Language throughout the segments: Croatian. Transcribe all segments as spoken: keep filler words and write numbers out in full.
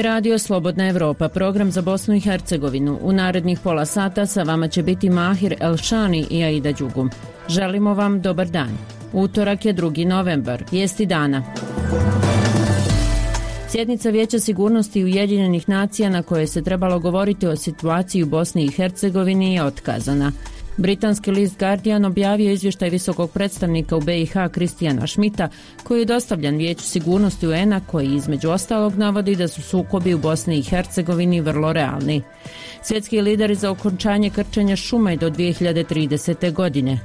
je radio Slobodna Evropa, program za Bosnu i Hercegovinu. U narednih pola sata sa vama će biti Mahir Elšani i Aida Đugum. Želimo vam dobar dan. Utorak je drugi novembar, vijesti dana. Sjednica Vijeća sigurnosti Ujedinjenih nacija na kojoj se trebalo govoriti o situaciji u Bosni i Hercegovini je otkazana. Britanski list Guardian objavio izvještaj visokog predstavnika u B i H Kristijana Schmidta koji je dostavljen Vijeću sigurnosti U N-a koji između ostalog navodi da su sukobi u Bosni i Hercegovini vrlo realni. Svjetski lideri za okončanje krčenja šume do dvije hiljade tridesete. godine.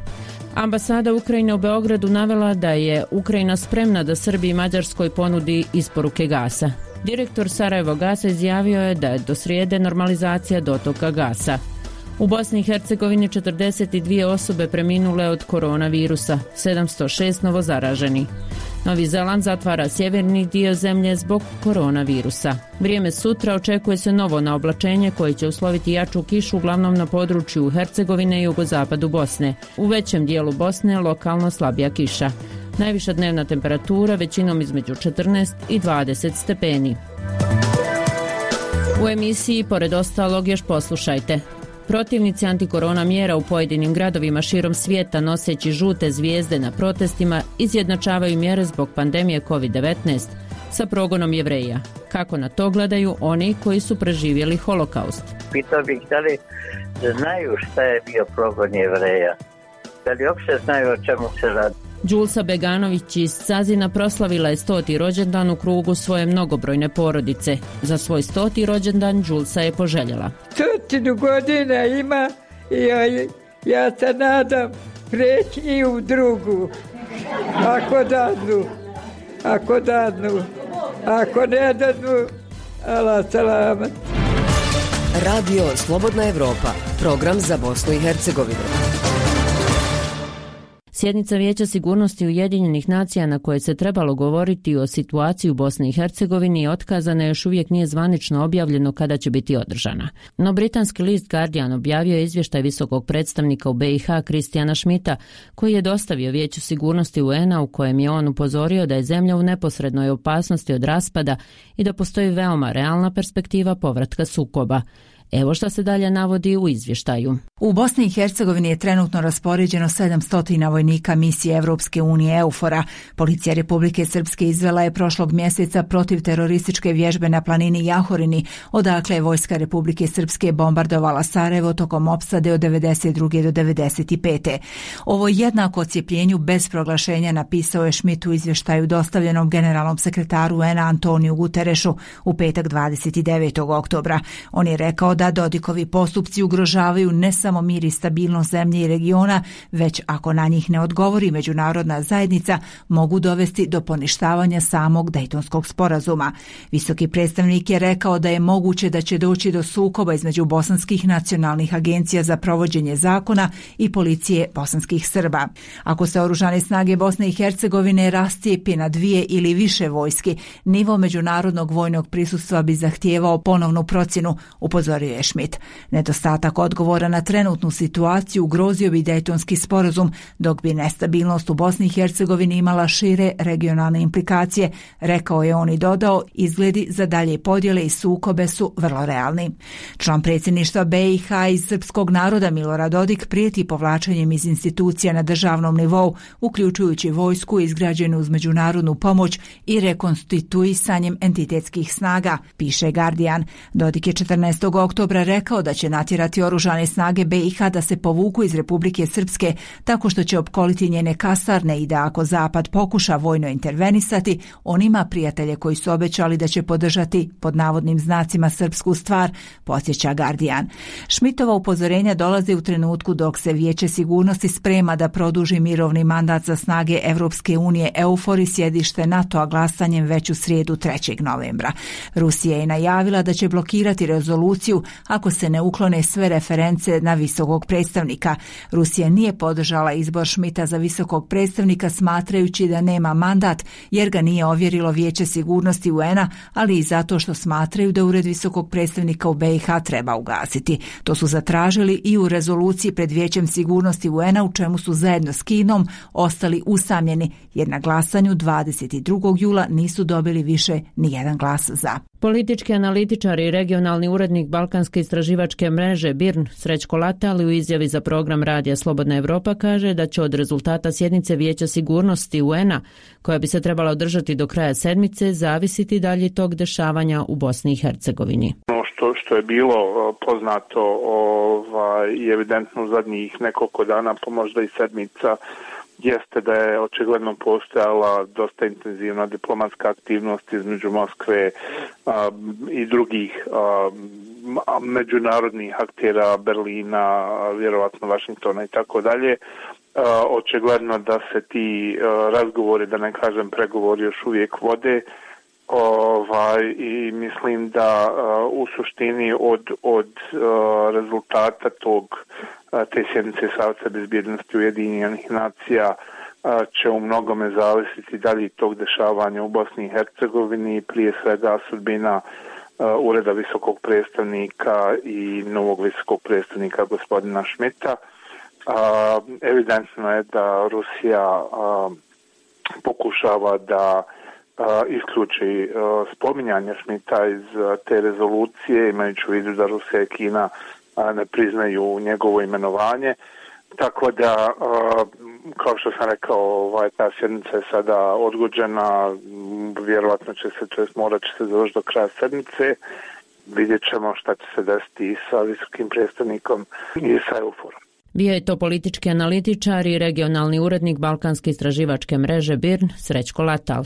Ambasada Ukrajine u Beogradu navela da je Ukrajina spremna da Srbiji i Mađarskoj ponudi isporuke gasa. Direktor Sarajevo gasa izjavio je da je do srijede normalizacija dotoka gasa. U Bosni i Hercegovini četrdeset dvije osobe preminule od koronavirusa, sedamsto šest novozaraženi. Novi Zeland zatvara sjeverni dio zemlje zbog koronavirusa. Vrijeme sutra očekuje se novo naoblačenje koje će usloviti jaču kišu uglavnom na području Hercegovine i jugozapadu Bosne. U većem dijelu Bosne lokalno slabija kiša. Najviša dnevna temperatura većinom između četrnaest i dvadeset stepeni. U emisiji pored ostalog još poslušajte. Protivnici antikorona mjera u pojedinim gradovima širom svijeta noseći žute zvijezde na protestima izjednačavaju mjere zbog pandemije kovid devetnaest sa progonom Jevreja. Kako na to gledaju oni koji su preživjeli holokaust? Pitao bih da li znaju šta je bio progon Jevreja, da li uopće znaju o čemu se radi. Đulsa Beganović iz Cazina proslavila je stoti rođendan u krugu svoje mnogobrojne porodice. Za svoj stoti rođendan Đulsa je poželjela. Stotinu godina ima i ja, ja se nadam preći i u drugu. Ako dadnu, ako dadnu, ako ne dadnu, ala salamat. Radio Slobodna Evropa, program za Bosnu i Hercegovinu. Sjednica Vijeća sigurnosti Ujedinjenih nacija na kojoj se trebalo govoriti o situaciji u Bosni i Hercegovini otkazana još uvijek nije zvanično objavljeno kada će biti održana. No britanski list Guardian objavio je izvještaj visokog predstavnika u B i H Kristijana Schmidta koji je dostavio Vijeću sigurnosti U N-a u kojem je on upozorio da je zemlja u neposrednoj opasnosti od raspada i da postoji veoma realna perspektiva povratka sukoba. Evo što se dalje navodi u izvještaju. U Bosni i Hercegovini je trenutno raspoređeno sedamsto vojnika misije Evropske unije EUFOR-a. Policija Republike Srpske izvela je prošlog mjeseca protiv terorističke vježbe na planini Jahorini, odakle je vojska Republike Srpske bombardovala Sarajevo tokom opsade od devedeset druge do devedeset pete. Ovo jednako odcijepljenju bez proglašenja napisao je Schmidt u izvještaju dostavljenom generalnom sekretaru U N-a Antoniju Guterešu u petak dvadeset devetog oktobra. On je rekao da Dodikovi postupci ugrožavaju ne samo mir i stabilnost zemlje i regiona, već ako na njih ne odgovori međunarodna zajednica, mogu dovesti do poništavanja samog Dejtonskog sporazuma. Visoki predstavnik je rekao da je moguće da će doći do sukoba između bosanskih nacionalnih agencija za provođenje zakona i policije bosanskih Srba. Ako se oružane snage Bosne i Hercegovine rastijepi na dvije ili više vojske, nivo međunarodnog vojnog prisustva bi zahtijevao ponovnu procjenu, upozorio je Schmidt. Nedostatak odgovora na trenutnu situaciju ugrozio bi Dejtonski sporazum, dok bi nestabilnost u Bosni i Hercegovini imala šire regionalne implikacije, rekao je on i dodao, izgledi za dalje podjele i sukobe su vrlo realni. Član predsjedništva B i H iz srpskog naroda Milorad Dodik prijeti povlačenjem iz institucija na državnom nivou, uključujući vojsku izgrađenu uz međunarodnu pomoć i rekonstituisanjem entitetskih snaga, piše Guardian. Dodik je četrnaestog oktobra rekao da će natjerati oružane snage B i H da se povuku iz Republike Srpske tako što će opkoliti njene kasarne i da ako Zapad pokuša vojno intervenisati, on ima prijatelje koji su obećali da će podržati pod navodnim znacima srpsku stvar, podsjeća Guardian. Schmidtova upozorenja dolaze u trenutku dok se Vijeće sigurnosti sprema da produži mirovni mandat za snage Evropske unije EUFOR i sjedište NATO-a glasanjem već u srijedu trećeg novembra. Rusija je najavila da će blokirati rezoluciju ako se ne uklone sve reference na visokog predstavnika. Rusija nije podržala izbor Schmidta za visokog predstavnika smatrajući da nema mandat jer ga nije ovjerilo Vijeće sigurnosti U N-a, ali i zato što smatraju da ured visokog predstavnika u B i H treba ugasiti. To su zatražili i u rezoluciji pred Vijećem sigurnosti U N-a u čemu su zajedno s Kinom ostali usamljeni jer na glasanju dvadeset drugog jula nisu dobili više ni jedan glas za. Politički analitičar i regionalni urednik Balkanske istraživačke mreže B I R N Srećko Latal u izjavi za program Radija Slobodna Evropa kaže da će od rezultata sjednice Vijeća sigurnosti U N-a, koja bi se trebala održati do kraja sedmice, zavisiti dalje tog dešavanja u Bosni i Hercegovini. Ono što, što je bilo poznato ovaj, i evidentno u zadnjih nekoliko dana, pa možda i sedmica, jeste da je očigledno postojala dosta intenzivna diplomatska aktivnost između Moskve a, i drugih a, međunarodnih aktera, Berlina, a, vjerovatno Vašingtona i tako dalje. Očigledno da se ti a, razgovori, da ne kažem pregovori, još uvijek vode. Ovaj, i mislim da a, u suštini od, od a, rezultata tog a, te sjednice Savjeta bezbjednosti Ujedinjenih nacija a, će u mnogome zavisiti dalje tog dešavanja u Bosni i Hercegovini, prije svega sudbina a, ureda visokog predstavnika i novog visokog predstavnika gospodina Schmidta. A, evidentno je da Rusija a, pokušava da isključi spominjanje Schmidta iz te rezolucije, imajući u vidu da Rusija i Kina ne priznaju njegovo imenovanje. Tako da, kao što sam rekao, ovaj, ta sjednica je sada odgođena, vjerovatno će se, to jest morat će se završiti do kraja sedmice. Vidjet ćemo šta će se desiti i sa visokim predstavnikom i sa EUFOR-om. Bio je to politički analitičar i regionalni urednik Balkanske istraživačke mreže B I R N Srećko Latal.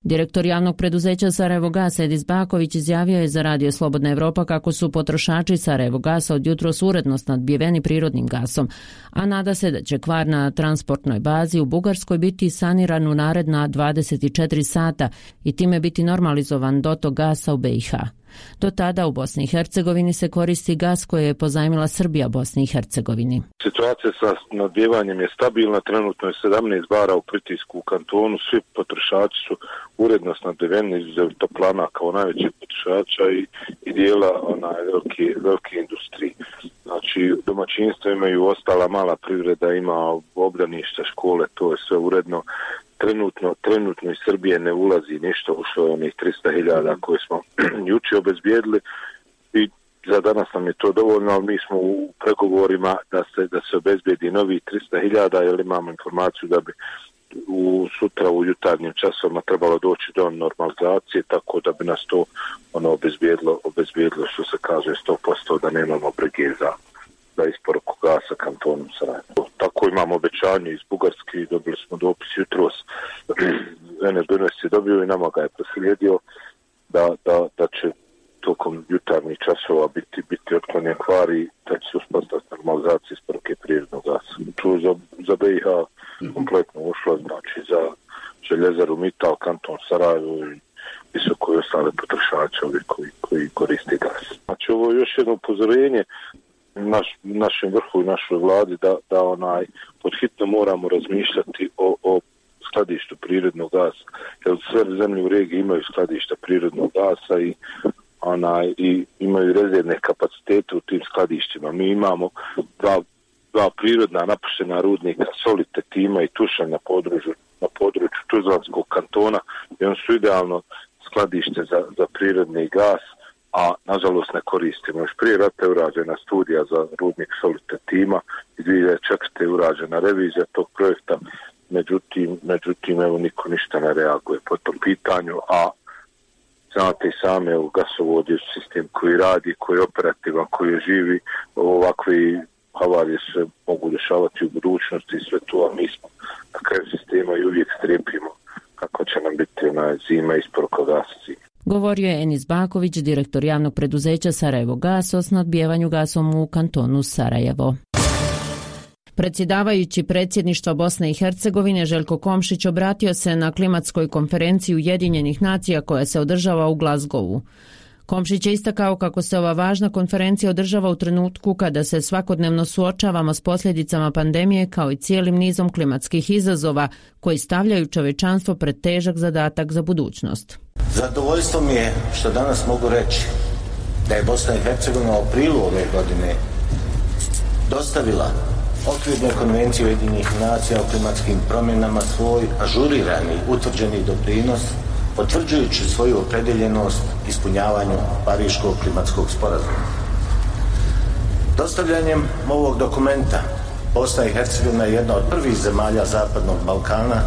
Direktor javnog preduzeća Sarajevogasa Edis Baković izjavio je za Radio Slobodna Evropa kako su potrošači Sarajevogasa od jutros uredno snadbijeveni prirodnim gasom, a nada se da će kvar na transportnoj bazi u Bugarskoj biti saniran u naredna dvadeset četiri sata i time biti normalizovan dotok gasa u B i H. Do tada u Bosni i Hercegovini se koristi gas koje je pozajmila Srbija Bosni i Hercegovini. Situacija sa snabdijevanjem je stabilna, trenutno je sedamnaest bara u pritisku u kantonu, svi potrošači su uredno snabdijeveni izuzev toplana kao najvećih potrošača i, i dijela onaj velike, velike industrije. Znači domaćinstva imaju, ostala mala privreda ima obdaništa, škole, to je sve uredno. Trenutno, trenutno iz Srbije ne ulazi ništa, ušlo je onih trista hiljada koje smo jučer obezbijedili i za danas nam je to dovoljno, ali mi smo u pregovorima da se, da se obezbijedi novi trista hiljada, jer imamo informaciju da bi u sutra u jutarnjim časovima trebalo doći do normalizacije, tako da bi nas to ono obezbijedilo, obezbijedilo što se kaže sto posto da nemamo brige za za isporuku gasa kantonom Sarajevo. Tako imamo obećanje iz Bugarske, dobili smo dopis jutros, Enes Bernes je dobio i nama ga je proslijedio da, da, da će tokom jutarnjih časova biti, biti otklonjen kvari, da će se uspostaviti normalizacija isporuke prirodnog gasa. Tu za, za B i H kompletno ušlo, znači za Željezaru Mital, kanton Sarajevo i visoko i ostale potrošače koji, koji koriste gas. Znači ovo je još jedno upozorenje naš, našem vrhu i našoj vladi da, da onaj podhitno moramo razmišljati o, o skladištu prirodnog gasa, jer sve zemlje u regiji imaju skladišta prirodnog gasa i onaj i imaju rezervne kapacitete u tim skladištima. Mi imamo dva, dva prirodna napuštena rudnika Solite, Tima i Tušanj na području na području Tuzlanskog kantona i on su idealno skladište za, za prirodni gas, a nažalost ne koristimo. Još prije rata je urađena studija za rudnik Solite Tima i dvije hiljade četvrte je urađena revizija tog projekta, međutim, međutim evo niko ništa ne reaguje po tom pitanju, a znate i same, evo gasovod je sistem koji radi, koji je operativan, koji je živi, ovakvi havarije se mogu dešavati u budućnosti i sve to, a mi smo na kraju sistema i uvijek strepimo kako će nam biti na zima isporuka gasa zima. Govorio je Enis Baković, direktor javnog preduzeća Sarajevo Gas o snadbijevanju gasom u kantonu Sarajevo. Predsjedavajući predsjedništva Bosne i Hercegovine Željko Komšić obratio se na klimatskoj konferenciji Ujedinjenih nacija koja se održava u Glasgowu. Komšić je istakao kako se ova važna konferencija održava u trenutku kada se svakodnevno suočavamo s posljedicama pandemije kao i cijelim nizom klimatskih izazova koji stavljaju čovječanstvo pred težak zadatak za budućnost. Zadovoljstvo mi je što danas mogu reći da je Bosna i Hercegovina u aprilu ove godine dostavila okvirnu konvenciju Ujedinjenih nacija o klimatskim promjenama svoj ažurirani utvrđeni doprinos, potvrđujući svoju opredjeljenost ispunjavanju Pariškog klimatskog sporazuma. Dostavljanjem ovog dokumenta Bosna i Hercegovina je jedna od prvih zemalja Zapadnog Balkana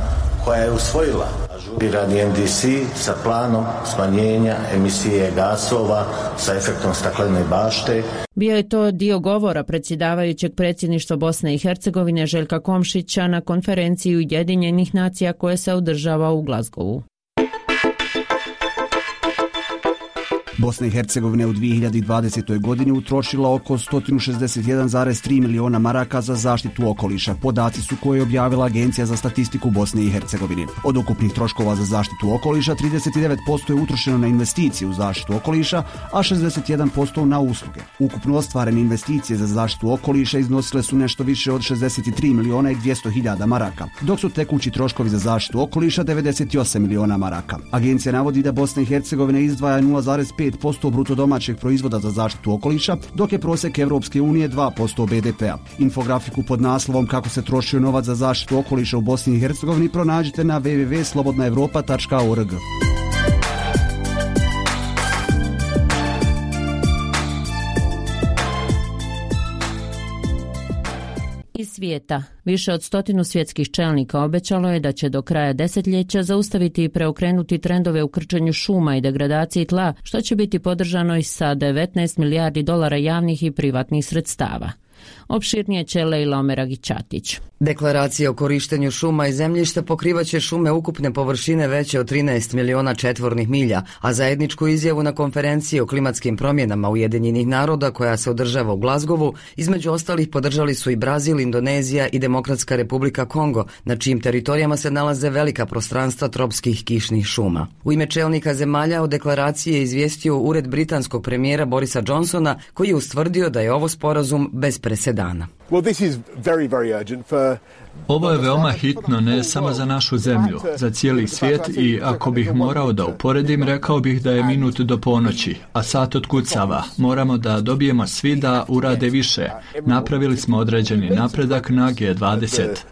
koja je usvojila ažurirani N D C sa planom smanjenja emisije gasova sa efektom staklene bašte. Bio je to dio govora predsjedavajućeg predsjedništva Bosne i Hercegovine Željka Komšića na konferenciji Ujedinjenih nacija koja se održava u Glazgovu. Bosna i Hercegovina je u dvije hiljade dvadesetoj godini utrošila oko sto šezdeset jedan zarez tri miliona maraka za zaštitu okoliša. Podaci su koje je objavila Agencija za statistiku Bosne i Hercegovine. Od ukupnih troškova za zaštitu okoliša, trideset devet posto je utrošeno na investicije u zaštitu okoliša, a šezdeset jedan posto na usluge. Ukupno ostvarene investicije za zaštitu okoliša iznosile su nešto više od šezdeset tri miliona i dvjesto hiljada maraka, dok su tekući troškovi za zaštitu okoliša devedeset osam miliona maraka. Agencija navodi da Bosna i Hercegovina izdvaja nula zarez pet posto bruto domaćeg proizvoda za zaštitu okoliša, dok je prosjek Evropske unije dva posto B D P-a. Infografiku pod naslovom Kako se trošio novac za zaštitu okoliša u Bosni i Hercegovini pronađite na w w w tačka slobodna evropa tačka org. Iz svijeta. Više od stotinu svjetskih čelnika obećalo je da će do kraja desetljeća zaustaviti i preokrenuti trendove u krčenju šuma i degradaciji tla, što će biti podržano i sa devetnaest milijardi dolara javnih i privatnih sredstava. Opširnije će Lejla Omeragić-Ćatić. Deklaracija o korištenju šuma i zemljišta pokrivaće šume ukupne površine veće od trinaest miliona četvornih milja, a zajedničku izjavu na konferenciji o klimatskim promjenama Ujedinjenih naroda koja se održava u Glazgovu, između ostalih podržali su i Brazil, Indonezija i Demokratska republika Kongo, na čijim teritorijama se nalaze velika prostranstva tropskih kišnih šuma. U ime čelnika zemalja o deklaraciji je izvijestio ured britanskog premijera Borisa Johnsona, koji je ustvrdio da je ovo sporazum bez presedana. Ovo je veoma hitno ne samo za našu zemlju, za cijeli svijet i ako bih morao da uporedim, rekao bih da je minut do ponoći, a sat otkucava. Moramo da dobijemo svi da urade više. Napravili smo određeni napredak na G dvadeset.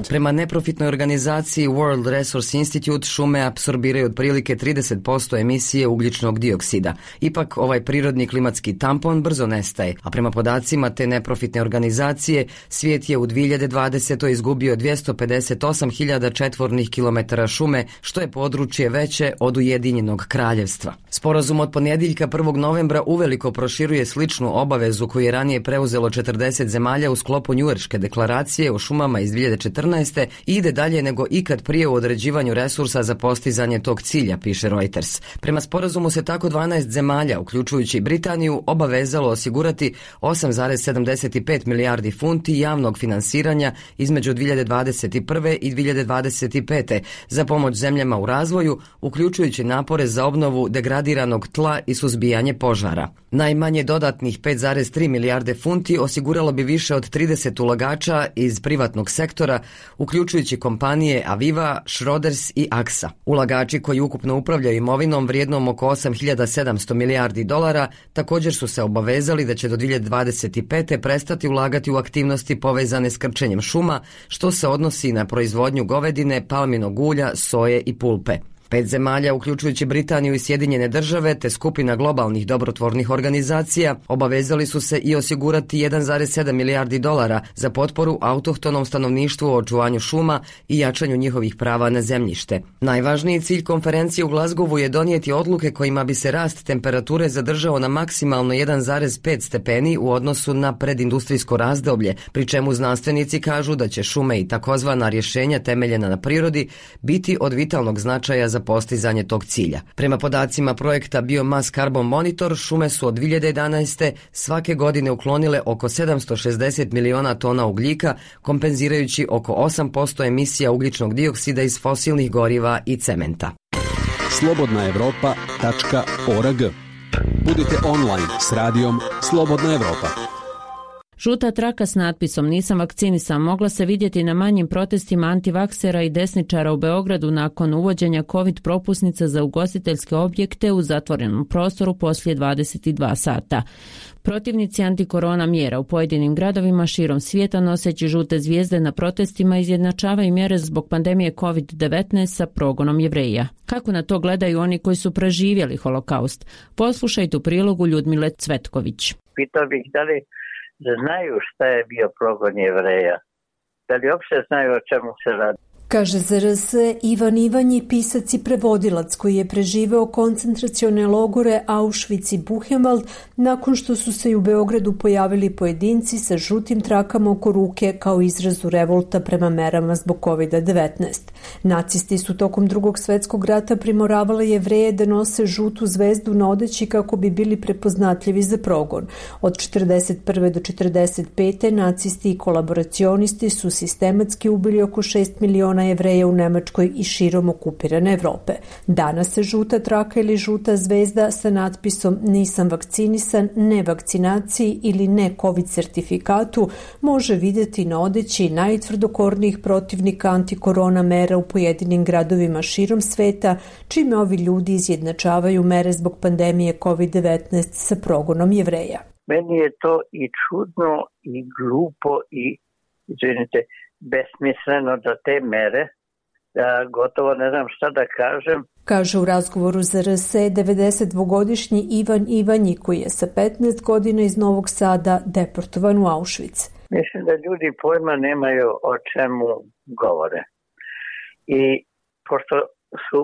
Prema neprofitnoj organizaciji World Resource Institute, šume apsorbiraju otprilike trideset posto emisije ugljičnog dioksida. Ipak, ovaj prirodni klimatski tampon brzo nestaje, a prema podacima te neprofitne organizacije, svijet je u dvije hiljade dvadesetoj izgubio dvjesto pedeset osam hiljada četvornih kilometara šume, što je područje veće od Ujedinjenog kraljevstva. Sporazum od ponedjeljka prvog novembra uveliko proširuje sličnu obavezu koju je ranije preuzelo četrdeset zemalja u sklopu Njujorške deklaracije o šumama iz dvije hiljade četrnaeste i ide dalje nego ikad prije u određivanju resursa za postizanje tog cilja, piše Reuters. Prema sporazumu se tako dvanaest zemalja, uključujući Britaniju, obavezalo osigurati osam zarez sedamdeset pet milijardi funti javnog finansiranja između dvije hiljade dvadeset prve i dvije hiljade dvadeset pete za pomoć zemljama u razvoju, uključujući napore za obnovu degradiranog tla i suzbijanje požara. Najmanje dodatnih pet zarez tri milijarde funti osiguralo bi više od trideset ulagača iz privatnog sektora, uključujući kompanije Aviva, Schroders i A X A. Ulagači koji ukupno upravljaju imovinom vrijednom oko osam hiljada sedamsto milijardi dolara također su se obavezali da će do dvije hiljade dvadeset pete prestati ulagati u aktivnosti povezane s krčenjem šuma, što se odnosi na proizvodnju govedine, palminog ulja, soje i pulpe. Pet zemalja, uključujući Britaniju i Sjedinjene države, te skupina globalnih dobrotvornih organizacija, obavezali su se i osigurati jedan zarez sedam milijardi dolara za potporu autohtonom stanovništvu u očuvanju šuma i jačanju njihovih prava na zemljište. Najvažniji cilj konferencije u Glazgovu je donijeti odluke kojima bi se rast temperature zadržao na maksimalno jedan zarez pet stepeni u odnosu na predindustrijsko razdoblje, pri čemu znanstvenici kažu da će šume i takozvana rješenja temeljena na prirodi biti od vitalnog značaja za za postizanje tog cilja. Prema podacima projekta Biomass Carbon Monitor, šume su od dvije hiljade jedanaeste svake godine uklonile oko sedamsto šezdeset miliona tona ugljika, kompenzirajući oko osam posto emisija ugljičnog dioksida iz fosilnih goriva i cementa. slobodna evropa tačka org. Budite online s radijom Slobodna Evropa. Žuta traka s natpisom "Nisam vakcinisan" mogla se vidjeti na manjim protestima antivaksera i desničara u Beogradu nakon uvođenja COVID propusnica za ugostiteljske objekte u zatvorenom prostoru poslije dvadeset dva sata. Protivnici antikorona mjera u pojedinim gradovima širom svijeta noseći žute zvijezde na protestima izjednačavaju mjere zbog pandemije COVID devetnaest sa progonom Jevreja. Kako na to gledaju oni koji su preživjeli holokaust? Poslušajte u prilogu Ljudmile Cvetković. Pitao bih da li znaju šta je bio progon Jevreja, da li uopće znaju o čemu se radi. Kaže Z R S Ivan Ivanji, pisac i prevodilac koji je preživeo koncentracione logore Auschwitz i Buchenwald nakon što su se i u Beogradu pojavili pojedinci sa žutim trakama oko ruke kao izrazu revolta prema merama zbog COVID devetnaest. Nacisti su tokom drugog svjetskog rata primoravali Jevreje da nose žutu zvezdu na odeći kako bi bili prepoznatljivi za progon. Od četrdeset prve do četrdeset pete nacisti i kolaboracionisti su sistematski ubili oko šest miliona Jevreja u Nemačkoj i širom okupirane Evrope. Danas se žuta traka ili žuta zvezda sa natpisom "Nisam vakcinisan", "Ne vakcinaciji" ili "Ne COVID certifikatu" može vidjeti na odeći najtvrdokornijih protivnika antikorona mera u pojedinim gradovima širom sveta, čime ovi ljudi izjednačavaju mere zbog pandemije COVID devetnaest sa progonom Jevreja. Meni je to i čudno i glupo i, izvinite, besmisleno da te mere, da gotovo ne znam šta da kažem. Kaže u razgovoru za R S devedesetdvogodišnji Ivan Ivanji koji je sa petnaest godina iz Novog Sada deportovan u Auschwitz. Mislim da ljudi pojma nemaju o čemu govore. I pošto su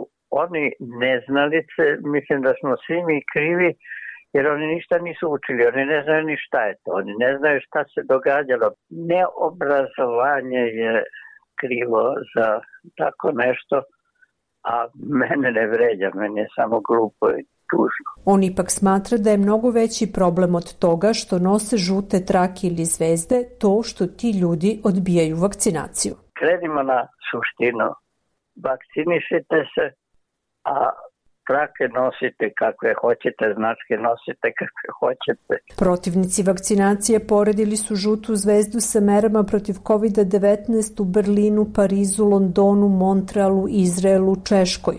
oni neznalice, mislim da smo svi mi krivi, jer oni ništa nisu učili, oni ne znaju ni šta je to, oni ne znaju šta se događalo. Neobrazovanje je krivo za tako nešto, a mene ne vređa, meni je samo glupo i tužno. On ipak smatra da je mnogo veći problem od toga što nose žute trake ili zvezde, to što ti ljudi odbijaju vakcinaciju. Krenimo na suštinu. Vakcinišite se, a trake nosite kakve hoćete, značke nosite kakve hoćete. Protivnici vakcinacije poredili su žutu zvezdu sa merama protiv COVID devetnaest u Berlinu, Parizu, Londonu, Montrealu, Izraelu, Češkoj.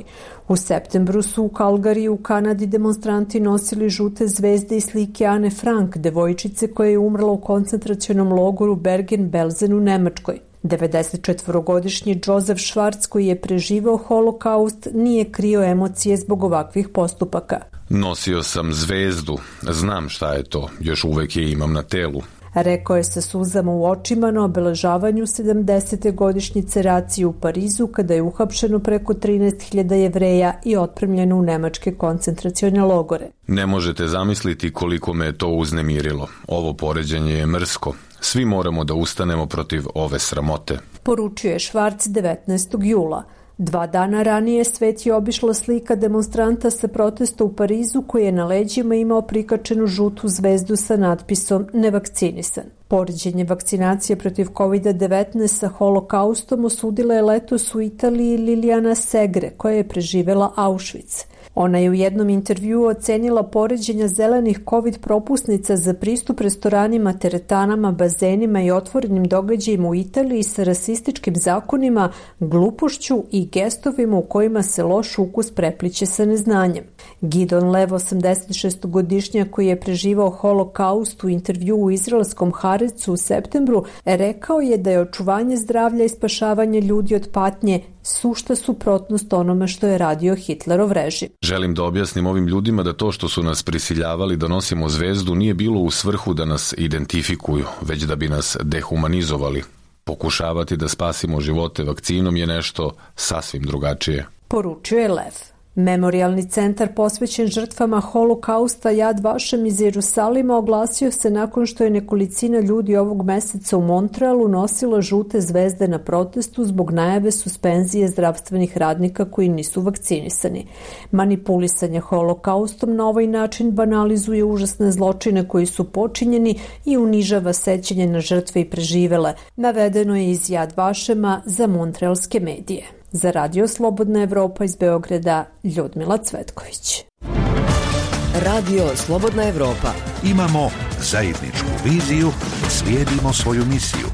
U septembru su u Kalgariji u Kanadi demonstranti nosili žute zvezde i slike Ane Frank, devojčice koja je umrla u koncentracionom logoru Bergen-Belsen u Nemačkoj. devedesetčetvorogodišnji Josef Schwarz koji je preživao holokaust nije krio emocije zbog ovakvih postupaka. Nosio sam zvezdu, znam šta je to, još uvek je imam na telu. Rekao je sa suzama u očima na obeležavanju sedamdesete godišnjice racije u Parizu kada je uhapšeno preko trinaest hiljada Jevreja i otpremljeno u nemačke koncentracione logore. Ne možete zamisliti koliko me je to uznemirilo. Ovo poređenje je mrsko. Svi moramo da ustanemo protiv ove sramote. Poručio je Schwarz devetnaestog jula. Dva dana ranije svet je obišla slika demonstranta sa protesta u Parizu koji je na leđima imao prikačenu žutu zvezdu sa natpisom "Nevakcinisan". Poređenje vakcinacije protiv COVID devetnaest sa holokaustom osudila je letos u Italiji Liliana Segre koja je preživela Auschwitz. Ona je u jednom intervjuu ocenila poređenja zelenih COVID propusnica za pristup restoranima, teretanama, bazenima i otvorenim događajima u Italiji sa rasističkim zakonima, glupošću i gestovima u kojima se loš ukus prepliće sa neznanjem. Gidon Lev, osamdesetšestogodišnjak koji je preživao holokaust, u intervjuu u izraelskom Haaretzu u septembru rekao je da je očuvanje zdravlja i spašavanje ljudi od patnje sušta suprotnost onome što je radio Hitlerov režim. Želim da objasnim ovim ljudima da to što su nas prisiljavali da nosimo zvezdu nije bilo u svrhu da nas identifikuju, već da bi nas dehumanizovali. Pokušavati da spasimo živote vakcinom je nešto sasvim drugačije. Poručio je Lev. Memorijalni centar posvećen žrtvama holokausta Yad Vashem iz Jerusalima oglasio se nakon što je nekolicina ljudi ovog meseca u Montrealu nosila žute zvezde na protestu zbog najave suspenzije zdravstvenih radnika koji nisu vakcinisani. Manipulisanje holokaustom na ovaj način banalizuje užasne zločine koji su počinjeni i unižava sećanje na žrtve i preživele, navedeno je iz Yad Vashema za montrealske medije. Za Radio Slobodna Evropa iz Beograda, Ljudmila Cvetković. Radio Slobodna Evropa. Imamo zajedničku viziju, slijedimo svoju misiju.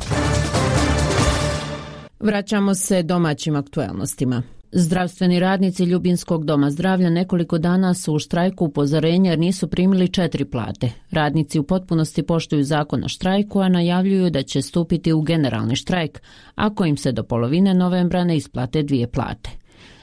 Vraćamo se domaćim aktuelnostima. Zdravstveni radnici Ljubinskog doma zdravlja nekoliko dana su u štrajku upozorenja jer nisu primili četiri plate. Radnici u potpunosti poštuju zakon o štrajku, a najavljuju da će stupiti u generalni štrajk ako im se do polovine novembra ne isplate dvije plate.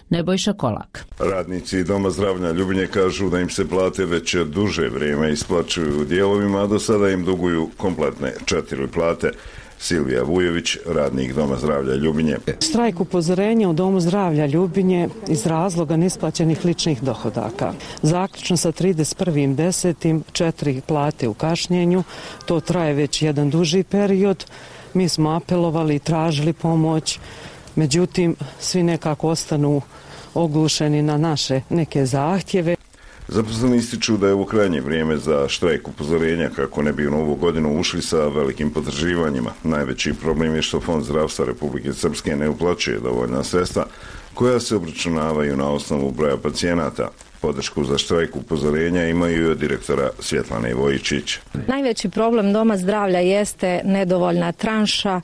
Nebojša Kolak. Radnici Doma zdravlja Ljubinje kažu da im se plate već duže vrijeme isplaćuju u dijelovima, a do sada im duguju kompletne četiri plate. Silvija Vujović, radnik Doma zdravlja Ljubinje. Štrajk upozorenja u Domu zdravlja Ljubinje iz razloga neisplaćenih ličnih dohodaka. Zaključno sa trideset prvim desetim četiri plate u kašnjenju, to traje već jedan duži period. Mi smo apelovali i tražili pomoć, međutim svi nekako ostanu oglušeni na naše neke zahtjeve. Zaposleni ističu da je u krajnje vrijeme za štrajk upozorenja kako ne bi u novu godinu ušli sa velikim potraživanjima. Najveći problem je što Fond zdravstva Republike Srpske ne uplaćuje dovoljna sredstva koja se obračunavaju na osnovu broja pacijenata. Podršku za štrajk upozorenja imaju i od direktora Svjetlane Vojičić. Najveći problem Doma zdravlja jeste nedovoljna tranša,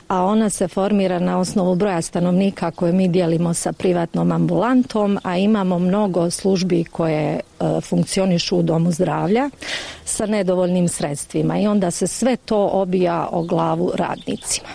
a ona se formira na osnovu broja stanovnika koje mi dijelimo sa privatnom ambulantom, a imamo mnogo službi koje e, funkcionišu u Domu zdravlja sa nedovoljnim sredstvima i onda se sve to obija o glavu radnicima.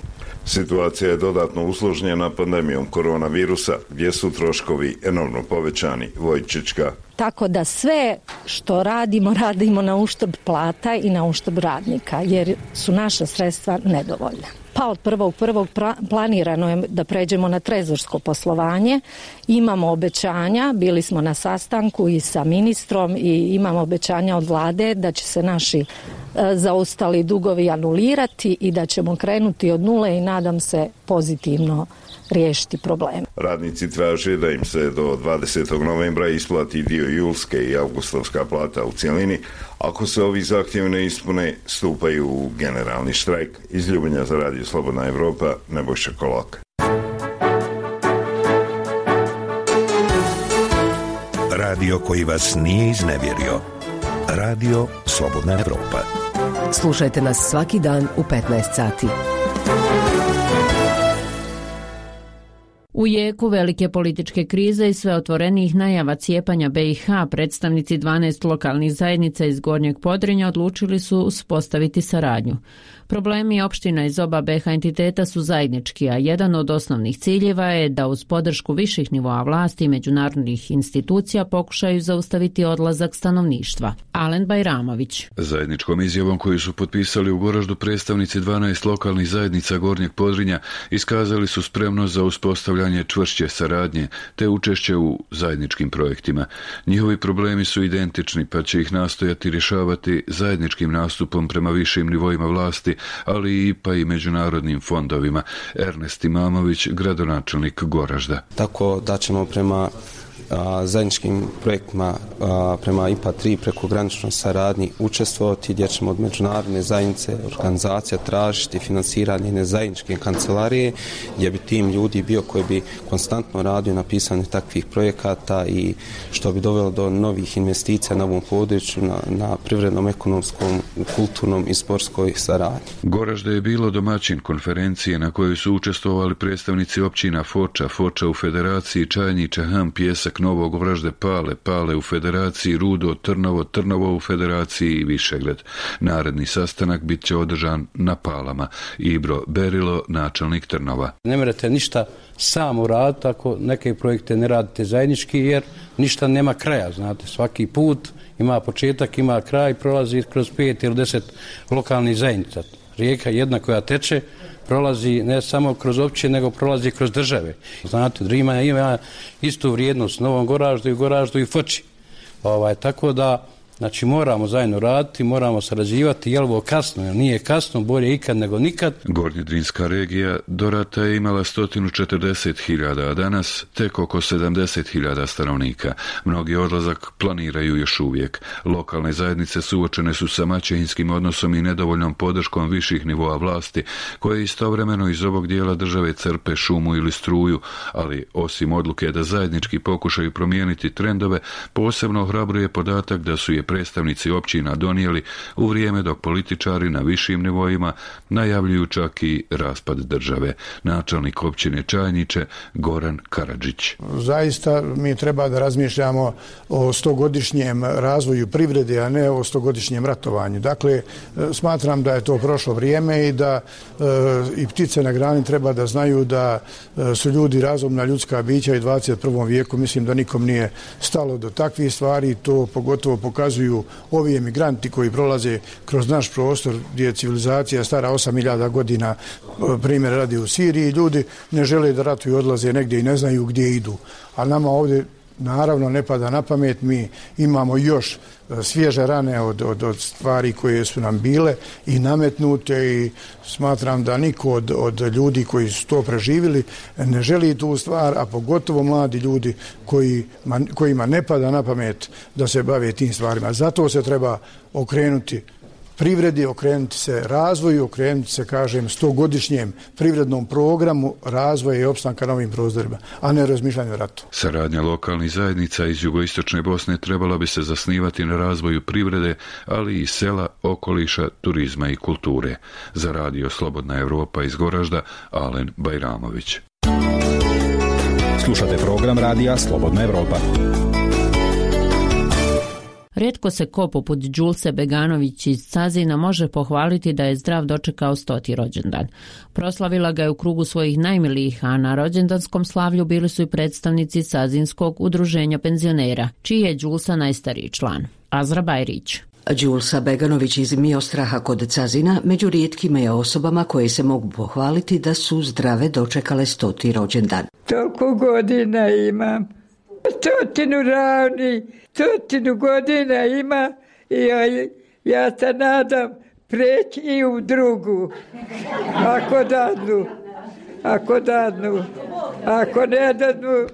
Situacija je dodatno usložnjena pandemijom koronavirusa, gdje su troškovi enormno povećani. Vojčićka. Tako da sve što radimo, radimo na uštrb plata i na uštrb radnika, jer su naša sredstva nedovoljna. Pa od prvog prvog planirano je da pređemo na trezorsko poslovanje. Imamo obećanja, bili smo na sastanku i sa ministrom i imamo obećanja od vlade da će se naši e, zaostali dugovi anulirati i da ćemo krenuti od nule i nadam se pozitivno riješiti problem. Radnici traže da im se do dvadesetog novembra isplati dio julske i avgustovska plata u cjelini. Ako se ovi zahtjevi ne ispune, stupaju u generalni štrajk. Iz Ljubinja za Radio Slobodna Evropa, Nebojša Kolak. Radio koji vas nije iznevjerio. Radio Slobodna Evropa. Slušajte nas svaki dan u petnaest sati. U jeku velike političke krize i sve otvorenijih najava cijepanja B i H, predstavnici dvanaest lokalnih zajednica iz Gornjeg Podrinja odlučili su uspostaviti saradnju. Problemi opština iz oba B H entiteta su zajednički, a jedan od osnovnih ciljeva je da uz podršku viših nivoa vlasti i međunarodnih institucija pokušaju zaustaviti odlazak stanovništva. Alen Bajramović. Zajedničkom izjavom koju su potpisali u Goraždu predstavnici dvanaest lokalnih zajednica Gornjeg Podrinja iskazali su spremnost za uspostavljanje čvršće saradnje te učešće u zajedničkim projektima. Njihovi problemi su identični, pa će ih nastojati rješavati zajedničkim nastupom prema višim nivoima vlasti, ali i pa i međunarodnim fondovima. Ernest Imamović, gradonačelnik Goražda. Tako da ćemo prema a, zajedničkim projektima a, prema I P A tri prekograničnoj saradnji učestvovati, gdje ćemo od međunarodne zajednice organizacija tražiti finansiranje nezajedničke kancelarije, gdje bi tim ljudi bio koji bi konstantno radio na pisanju takvih projekata i što bi dovelo do novih investicija na ovom području, na, na privrednom, ekonomskom, kulturnom i sportskoj saradnji. Goražde je bilo domaćin konferencije na kojoj su učestvovali predstavnici općina Foča, Foča u Federaciji, Čajniče, Ham, Pjesak, Novog Vražde, Pale, Pale u Federaciji, Rudo, Trnovo, Trnovo u Federaciji i Višegrad. Naredni sastanak bit će održan na Palama. Ibro Berilo, načelnik Trnova. Ne morate ništa sam uraditi ako neke projekte ne radite zajednički, jer ništa nema kraja, znate, svaki put ima početak, ima kraj, prolazi kroz pet ili deset lokalnih zajednica. Rijeka jedna koja teče prolazi ne samo kroz općine, nego prolazi kroz države. Znate, Rima ima istu vrijednost u Novom Goraždu i Goraždu i Foči. Ovaj, tako da Znači moramo zajedno raditi, moramo sarađivati, jel ovo kasno, jel nije kasno, bolje ikad nego nikad. Gornjedrinska regija do rata je imala sto četrdeset hiljada, a danas tek oko sedamdeset hiljada stanovnika. Mnogi odlazak planiraju još uvijek. Lokalne zajednice suočene su sa maćehinskim odnosom i nedovoljnom podrškom viših nivoa vlasti, koje istovremeno iz ovog dijela države crpe šumu ili struju, ali osim odluke da zajednički pokušaju promijeniti trendove, posebno ohrabruje podatak da su je predstavnici općina donijeli u vrijeme dok političari na višim nivoima najavljuju čak i raspad države. Načelnik općine Čajniče Goran Karadžić. Zaista mi treba da razmišljamo o stogodišnjem razvoju privrede, a ne o stogodišnjem ratovanju. Dakle, smatram da je to prošlo vrijeme i da e, i ptice na grani treba da znaju da e, su ljudi razumna ljudska bića i u dvadeset prvom vijeku. Mislim da nikom nije stalo do takvih stvari. To pogotovo pokazuju ovi emigranti koji prolaze kroz naš prostor gdje je civilizacija stara osam hiljada godina, primjer radi u Siriji. Ljudi ne žele da ratuju, odlaze negdje i ne znaju gdje idu. A nama ovdje naravno ne pada na pamet, mi imamo još svježe rane od, od, od stvari koje su nam bile i nametnute i smatram da niko od, od ljudi koji su to preživjeli ne želi tu stvar, a pogotovo mladi ljudi koji, kojima ne pada na pamet da se bave tim stvarima. Zato se treba okrenuti privredi, okrenuti se razvoju, okrenuti se, kažem, stogodišnjem privrednom programu razvoja i opstanka na ovim prostorima, a ne razmišljanju o ratu. Saradnja lokalnih zajednica iz jugoistočne Bosne trebala bi se zasnivati na razvoju privrede, ali i sela, okoliša, turizma i kulture. Za radio Slobodna Evropa iz Goražda, Alen Bajramović. Slušate program radija Slobodna Evropa. Rijetko se ko poput Đulse Beganović iz Cazina može pohvaliti da je zdrav dočekao stoti rođendan. Proslavila ga je u krugu svojih najmilijih, a na rođendanskom slavlju bili su i predstavnici Cazinskog udruženja penzionera, čiji je Đulsa najstariji član. Azra Bajrić. Đulsa Beganović iz Miostraha kod Cazina među rijetkima je osobama koje se mogu pohvaliti da su zdrave dočekale stoti rođendan. Toliko godina imam, stotinu ravni, stotinu godina ima i ja, ja se nadam preći i u drugu, ako dadnu, ako dadnu, ako ne dadnu,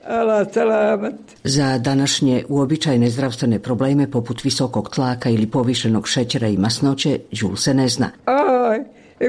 ala salamat. Za današnje uobičajene zdravstvene probleme poput visokog tlaka ili povišenog šećera i masnoće Đulse ne zna. Aj,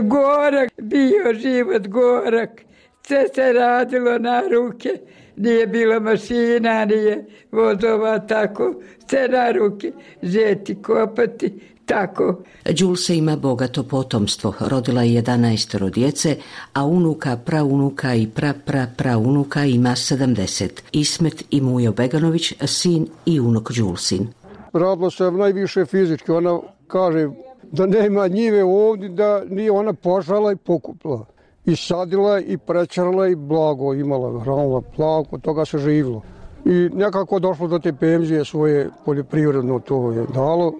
gorak, bio život gorak, sve se radilo na ruke, nije bilo mašina, nije vozova, tako, sve na ruke, žeti, kopati, tako. Đulse ima bogato potomstvo, rodila je jedanaestoro djece, a unuka, praunuka i pra pra praunuka ima sedamdeset. Ismet i Mujo Beganović, sin i unuk Đulsin. Radilo se najviše fizički, ona kaže da nema njive ovdje, da nije ona požala i pokupila. I sadila i prečarala i blago imala, hranila, blago, toga se živilo. I nekako došlo do te penzije svoje poljoprivredno to je dalo.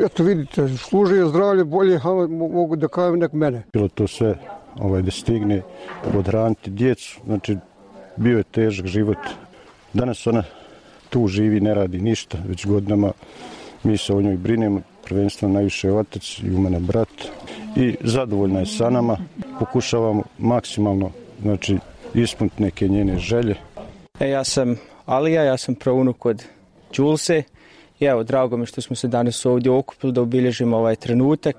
Eto vidite, služi je zdravlje bolje, mogu da kažem nek mene. Bilo to sve ovaj, da stigne odhraniti djecu, znači bio je težak život. Danas ona tu živi, ne radi ništa, već godinama mi se o njoj brinemo, prvenstveno najviše otac i u mene brat. I zadovoljna je sa nama, pokušavamo maksimalno znači, ispuniti neke njene želje. E, ja sam Alija, ja sam praunuk od Đulse i evo, drago mi što smo se danas ovdje okupili da obilježimo ovaj trenutak.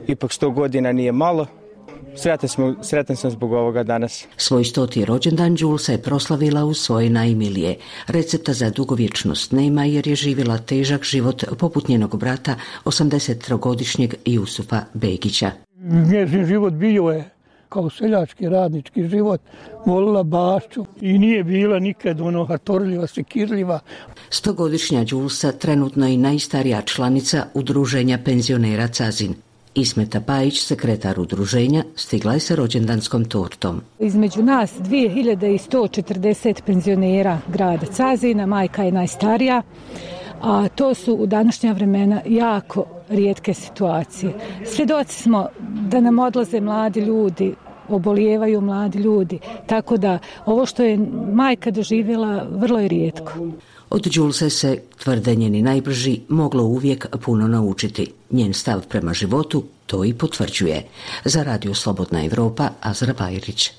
Ipak sto godina nije malo. Sretan, smo, sretan sam zbog ovoga danas. Svoj stoti rođendan Đulsa je proslavila u svoje najmilije. Recepta za dugovječnost nema jer je živjela težak život poput njenog brata, osamdesettrogodišnjeg Jusufa Begića. Njezin život bio je kao seljački radnički život, volila bašću i nije bila nikad ono hartorljiva, sekirljiva. Stogodišnja Đulsa trenutno i najstarija članica udruženja penzionera Cazin. Ismeta Pajić, sekretar udruženja, stigla je sa rođendanskom tortom. Između nas dvije hiljade sto četrdeset penzionera grada Cazina, majka je najstarija, a to su u današnja vremena jako rijetke situacije. Svjedoci smo da nam odlaze mladi ljudi, obolijevaju mladi ljudi, tako da ovo što je majka doživjela vrlo je rijetko. Od Đulse se, tvrde njeni najbrži, moglo uvijek puno naučiti. Njen stav prema životu to i potvrđuje. Za Radio Slobodna Evropa, Azra Bajrić.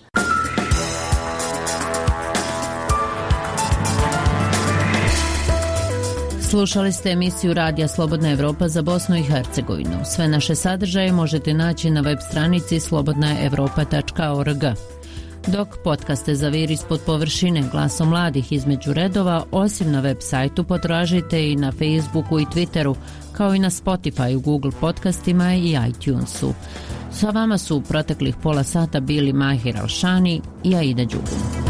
Slušali ste emisiju Radija Slobodna Evropa za Bosnu i Hercegovinu. Sve naše sadržaje možete naći na web stranici slobodna evropa tačka org. Dok podcaste Zavir ispod površine, glasom mladih između redova, osim na web sajtu potražite i na Facebooku i Twitteru, kao i na Spotify, Google podcastima i iTunesu. Sa vama su u proteklih pola sata bili Mahir Alšani i Aida Đugum.